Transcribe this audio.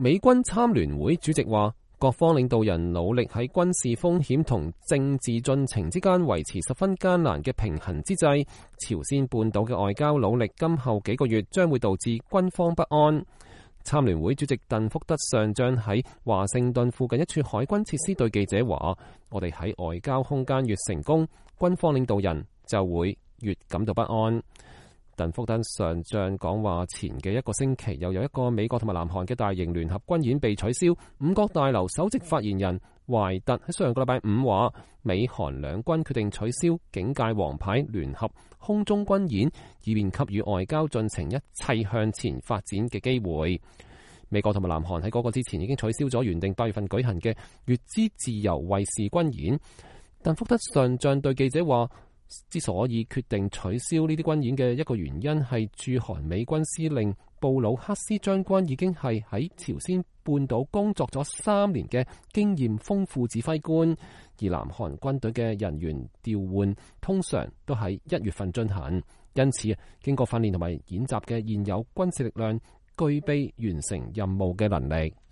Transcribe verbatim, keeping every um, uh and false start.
美軍參聯會主席話，各方領導人努力喺軍事風險同政治進程之間維持十分艱難嘅平衡之際，朝鮮半島嘅外交努力今後幾個月將會導致軍方不安。參聯會主席鄧福德上將喺華盛頓附近一處海軍設施對記者話，我哋喺外交空間越成功，軍方領導人就會越感到不安。鄧福德上將講話前嘅一個星期，又有一個美國同埋南韓嘅大型聯合軍演被取消。五角大樓首席發言人懷特喺上個禮拜五話，美韓兩軍決定取消警戒王牌聯合空中軍演，以便給予外交進程一切向前發展嘅機會。美國同埋南韓喺嗰個之前已經取消咗原定八月份舉行嘅乙支自由衛士軍演。鄧福德上將對記者話，之所以決定取消呢啲軍演嘅一個原因係駐韓美軍司令布魯克斯將軍已經係喺朝鮮半島工作咗三年嘅經驗豐富指揮官，而南韓軍隊嘅人員調換通常都喺一月份進行，因此經過訓練同埋演習嘅現有軍事力量具備完成任務嘅能力。